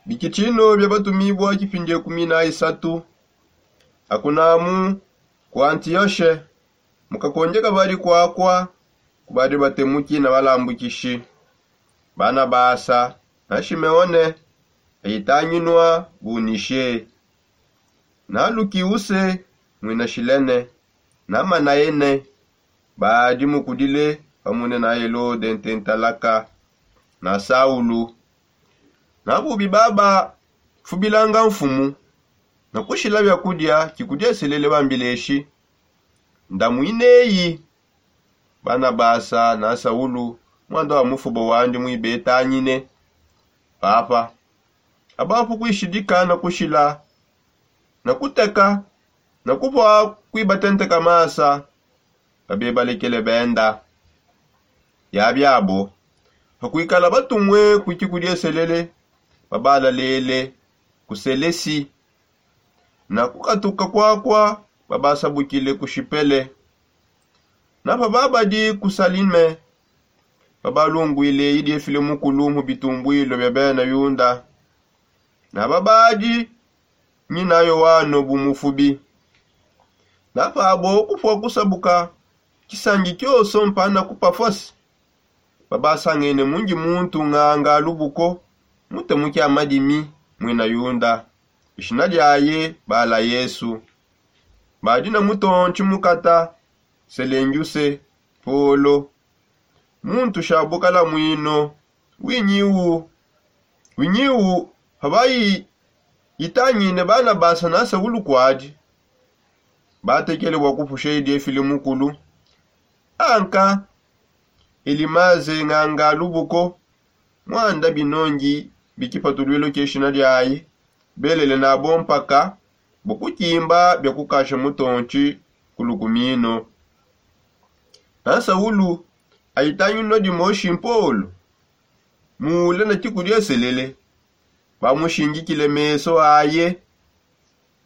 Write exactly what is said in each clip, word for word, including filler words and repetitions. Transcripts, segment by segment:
Bikitshino bia batumibua kipindi ekumi na isatu. Akunamu ku antiyoshe, mu kakondia kabadi kuakua, kubadi batemuki na balambukishi, banabasa, na shimeone, ayitanginua bu nishe, na lukiuse, muina shilene, na manayene, badi mukudile pamune na helode ntentalaka, na saulu. Na bubi babafubilanga mfumu, na kushila biakudia kikudieselele bambileshi, ndamuineyi. Banabasa na saulu, muanda wa mufubo wandi muibetangine, papa, abapu kuishidika na kushila, na kuteka, na kupua kuibatenteka masa, babebalekele benda. Yabiabo, pakuikala batumue kuiki kudieselele, babalalele ku selesi, na kukatuka kuakua babasabukile ku shipele. Na pababadi ku salime, babalunguile idiefile mukulu mu bitumbuilo bia bena yuda, na babadi nyina yoano bu mufubi. Na pabo kupua kusabuka kisangi kioso mpana ku pafose, babasangene mundi muntu nganga lubuko, mutemuki a madimi, muina yuda, ishina diaye bala yesu. Badi na mutontshi mukata, selengiuse, polo, muntu sha bukala mwino. Winyiwu winyiwu pabayi yitangine banabasa na saulu kuadi, batekele bua kupusha idiefile mukulu. Anka elimaze nganga lubuko, muanda binongi bikipatulwilo kia shina diaye, belele nabo mpaka bua kukimba bia kukasha mutontshi ku lukumino. Na saulu ayitanginua dimoshi mpolo, mule na kikudieselele, bamushingikile meso aye,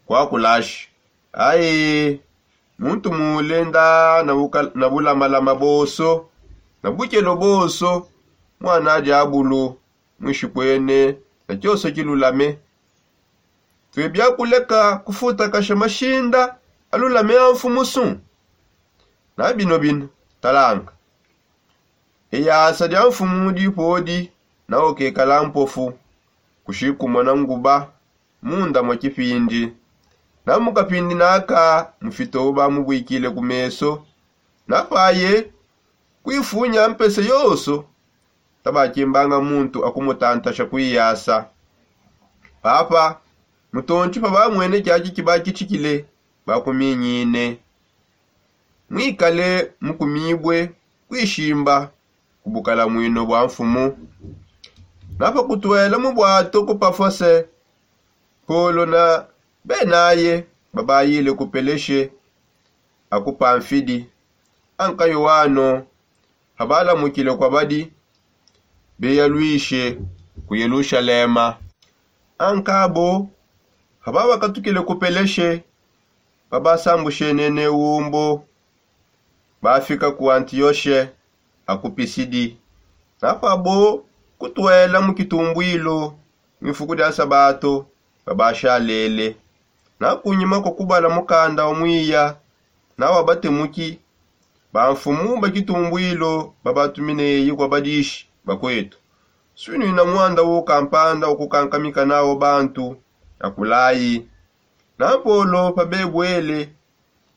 kuakulashi, aye, muntu mule nda na bulamalama bonso, na bukelo bonso, muana diabulu, mwishipuene na kioso kilulame. Tuebia kuleka kufutakasha mashinda alulame a mfumu su? Na bino bino, talanga, eyasa dia mfumu dipodi, na ukekala mpofu kushikumona nguba munda mua kipindi. Na mu kapindi naka mufito bamubuikile ku meso, na paye kuifunya mpese yonso, tabakimbanga muntu akumutantasha kuiyasa. Papa, mutontshi pabamwene kiaki kibakitshikile, bakuminyine. Mwikale mukumibue kuishimba ku bukala mwino bua mfumu. Na pakutuela mu buato ku pafose, polo na benaye babayile ku peleshe, aku pamfidi. Anka yoano pabalamukile kuabadi, beyaluishe ku yelushalema. Anka abo pababakatukile ku peleshe, babasambushenene umbo, bafika ku antiyoshe, aku pisidi. Na pabo kutuela mu kitumbwilo, mu ifuku dia sabato, babashalele. Na kunyima kua kubala mukanda wa muiya na wa batemuki, bamfumu ba kitumbwilo babatumineyi kua badishi, bakuetu, suinuina muanda u kampanda wa kukankamika nawo bantu, akulayi. Na polo pabebuele,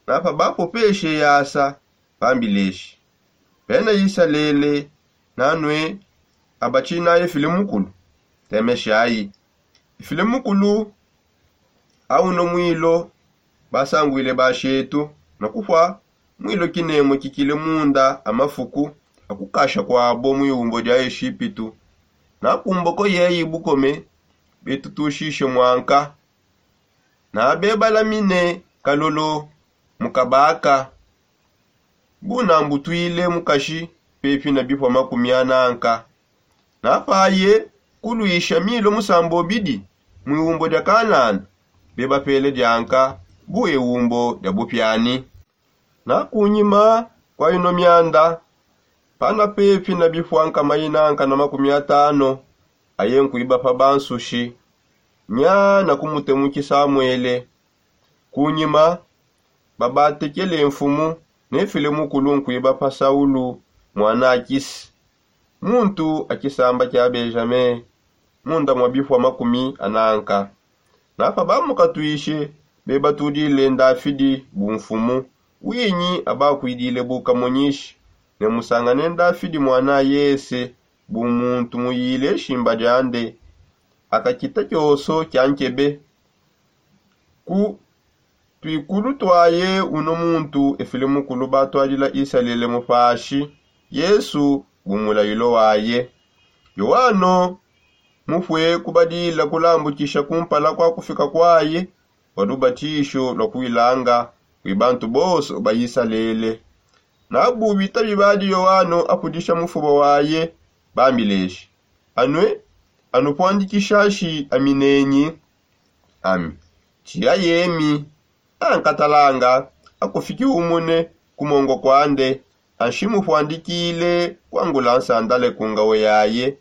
na pabapopeshe yasa, bambileshi, bena isalele, nanue abatshinaye file mukulu, temeshayi. Ifile mukulu, auno mwilo, basanguile bashetu, na kupua mwilo kinemue kikile munda a mafuku a kukasha kuabo mu iumbo dia eshipitu. Na kumboko yeyi bukome, betutushishe muanka, na bebalamine kalolo mu kabaka, bunambutuile mukashi pepi na bipua makumi ananka. Na paye kuluisha milo musambobidi mu iumbo dia kanana, bebapele dianka bu eumbo dia bupiani. Na kunyima kua ino mianda, pana pepi na bipua nkama inanka na makumi atano, aye nkuiba pa bansushi, Nyana kumutemukisa amwele. Kunyima babatekele nfumu ne file mukulu nkuiba pa saulu mwana akisi, muntu a kisamba kia benjame, munda mwa bifwa makumi ananka. Napa bamukatwishe bebatudile ndafidi bunfumu, winyi abakwidile bukamonyishi ne musangane ndafidi mwana yese bu muntu muyile shimba diande. Akakita kioso kia nkebe ku twikulu twaye uno muntu efile mukulu batwadila isalele mupashi yesu bu mulayilo waye. Yoano mupwe kubadila kulambukisha kumpala kwa kufika kwaye kwa lubatisho lwa kuilanga kwi bantu bonso ba isalele. Nabu bitabi badi yoano apudisha mufuba waye bambileshi, anue anupwandikishashi aminenyi ami tia yemi ankatalanga akufiki umune kumongo kwande anshi mupwandikile kwangula nsandale ku ngawe yaye.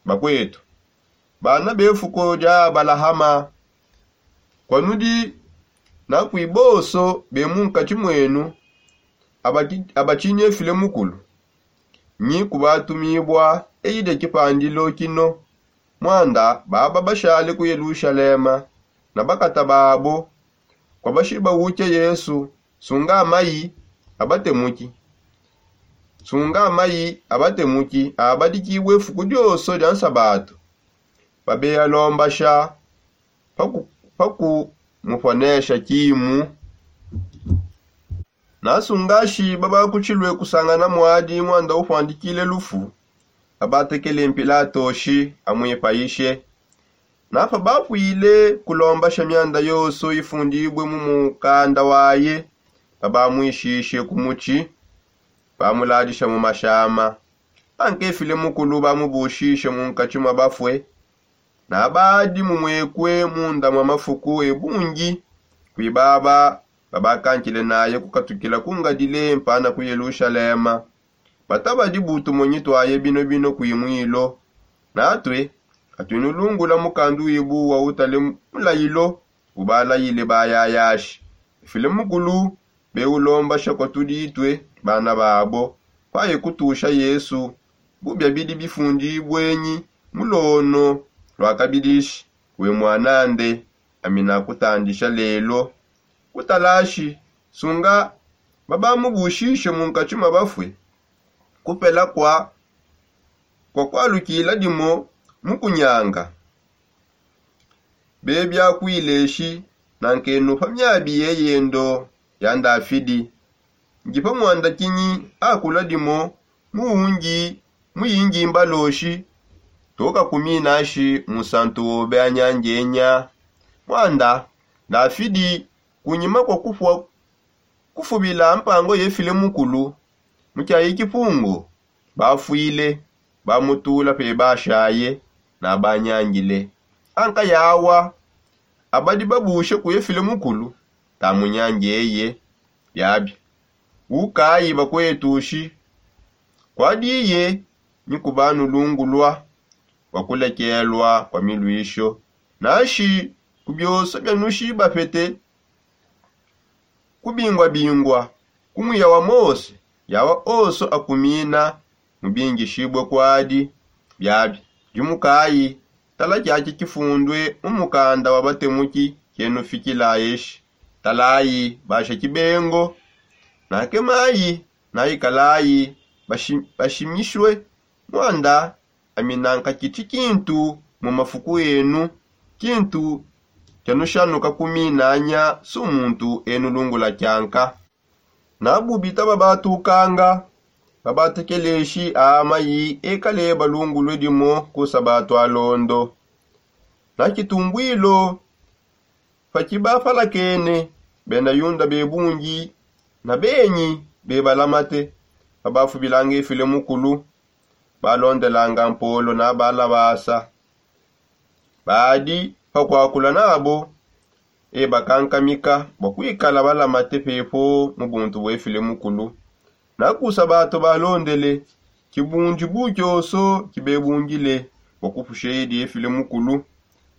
Bakwetu bana befuko dia abalahama, kwanudi nakwi bonso be munkatshi mwenu abatshinyefile mukulu nyi kubatumibua eyi dia tshipandilo tshino. Mwanda baba bashale ku yelushalema na bakata babo kwa bashiba utshia yesu sunga mayi abatemuki sunga mayi abatemuki abadikibue fuku dioso dia nsabatu. Babeya lombasha paku paku muponesha kimu. Nasungashi babakutshilue kusangana muadi mwanda upuandikile lufu. Abatekele mpilatoshi amwipayishe. Napa bapwile kulombasha mianda yonso ifundibue mu mukanda waye babamwishishe ku mutshi. Bamuladisha mu mashama. Ankefile mukulu bamubushishe mu nkatshi mwa bafue. Nabadi mumwekue munda mwa mafuku ebungi kwi baba babakankile naye kukatukila kungadile mpana ku yelushalema. Batabadi butumonyi twaye bino bino kwi mwilo. Natue atuinulungula mukandu wibu wa utale mulayilo ubalayile bayayashi. Efile mukulu beulombasha kwa tuditue bana babo. Kwaye kutusha yesu bubia bidi bifundibue nyi mulono lwakabidishi we mwanande. Ami nakutandisha lelo kutalashi sunga babamubushishe mu nkatshi mwa bafue. Kupela kwa kwa kwalukila dimo mu kunyanga bebia kwileshi. Nankenupa miabi yeyendo ya ndafidi ndi pa muanda kinyi akula dimo mu wungi mu yingi mbaloshi. Tukakuminashi musantu wobe anyanjenya. Muanda ndafidi kunyima kwa kufua kufubila mpango yefile mukulu mu kiayi kipungu. Bafwile bamutula pe bashaye nabanyangile. Anka yawa abadi babushe kuyefile mukulu tamunyange eye. Biabi ukayi bakwetushi kwadiye ni kubanulungulwa kwa kulekelwa kwa milwisho. Nashi ku bioso bianushi bapete kubingwabingwa ku muya wa mose yawa onso akumina mubingishibue kuadi. Biabi dimukayi tala kiaki kifundue mu mukanda wa batemuki kienufikila eshi. Talayi basha kibengo. Nakemayi naikalayi bashimishue. Muanda ami nanka kiti kintu mu mafuku enu kintu kianushanuka ku minanya su muntu enulungula kianka. Nabu bitaba batukanga babatekeleshi a mayi ekale balungulue dimo ku sabatu alondo. Na kitumbwilo pa kibapalakene bena yunda bebungi na benyi bebalamate babafubilanga efile mukulu balondelanga mpolo na balabasa. Badi pa kuakula nabo ebakankamika bua kuikala balamate pepo mu buntu buefile mukulu. Nakusa batu balondele kibundibu kioso kibebungile bua kupusha edi efile mukulu.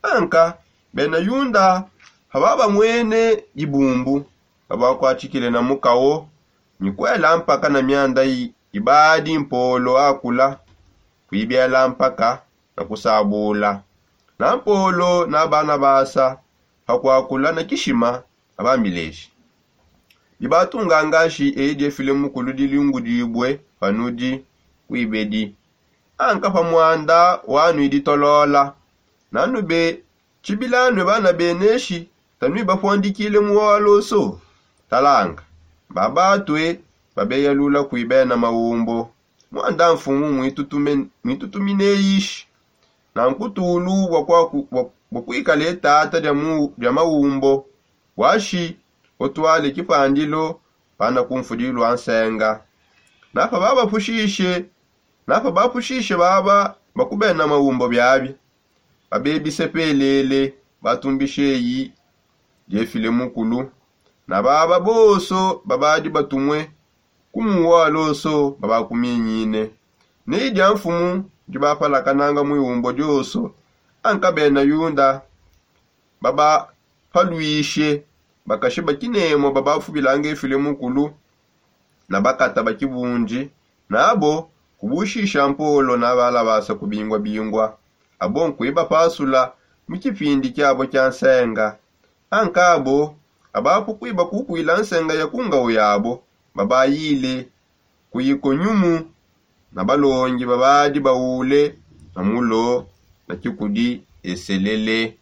Anka Bena yunda pababamwene dibumbu, babakuatshikile na mukawo, mikuela mpaka na mianda ibadi mpolo akula, kuibela mpaka na kusabula. Na mpolo na banabasa pakuakula na kishima, abambileshi dibatunga ngashi eyi diefile mukulu dilingudibue panudi kuibedi. Anka pa muanda wanu iditolola, nanube tshibilanue bana beneshi, tanuibapuandikile mu waloso. Talanga, babatue babeyalula kuibena maumbo. Muanda mfumu muitutumineyishi na nkutulu bua kuikala etata dia maumbo, washi utuale kipandilo pana kumfudilu a nsenga. Napa babapushishe napa bapushishe baba bakubena maumbo biabi, babebisepelele batumbisheyi diefile mukulu. Na baba bonso babadi batumue kumuwa loso babakuminyine. Neyi dia mfumu dibapalakananga mu iumbo dioso, anka bena yunda babapaluishe bakashi bakinemo babafubilanga efile mukulu na bakata ba kibundi, nabo kubushisha mpolo na balabasa kubingua-bingua. Abo nkuibapasula mu kipindi kiabo kia nsenga. Ankabo abapu kuiba kukuila nsenga ya ku ngau yabo, babayile ku Ikonyumu na balongi babadi baule na mulo na kikudi eselele.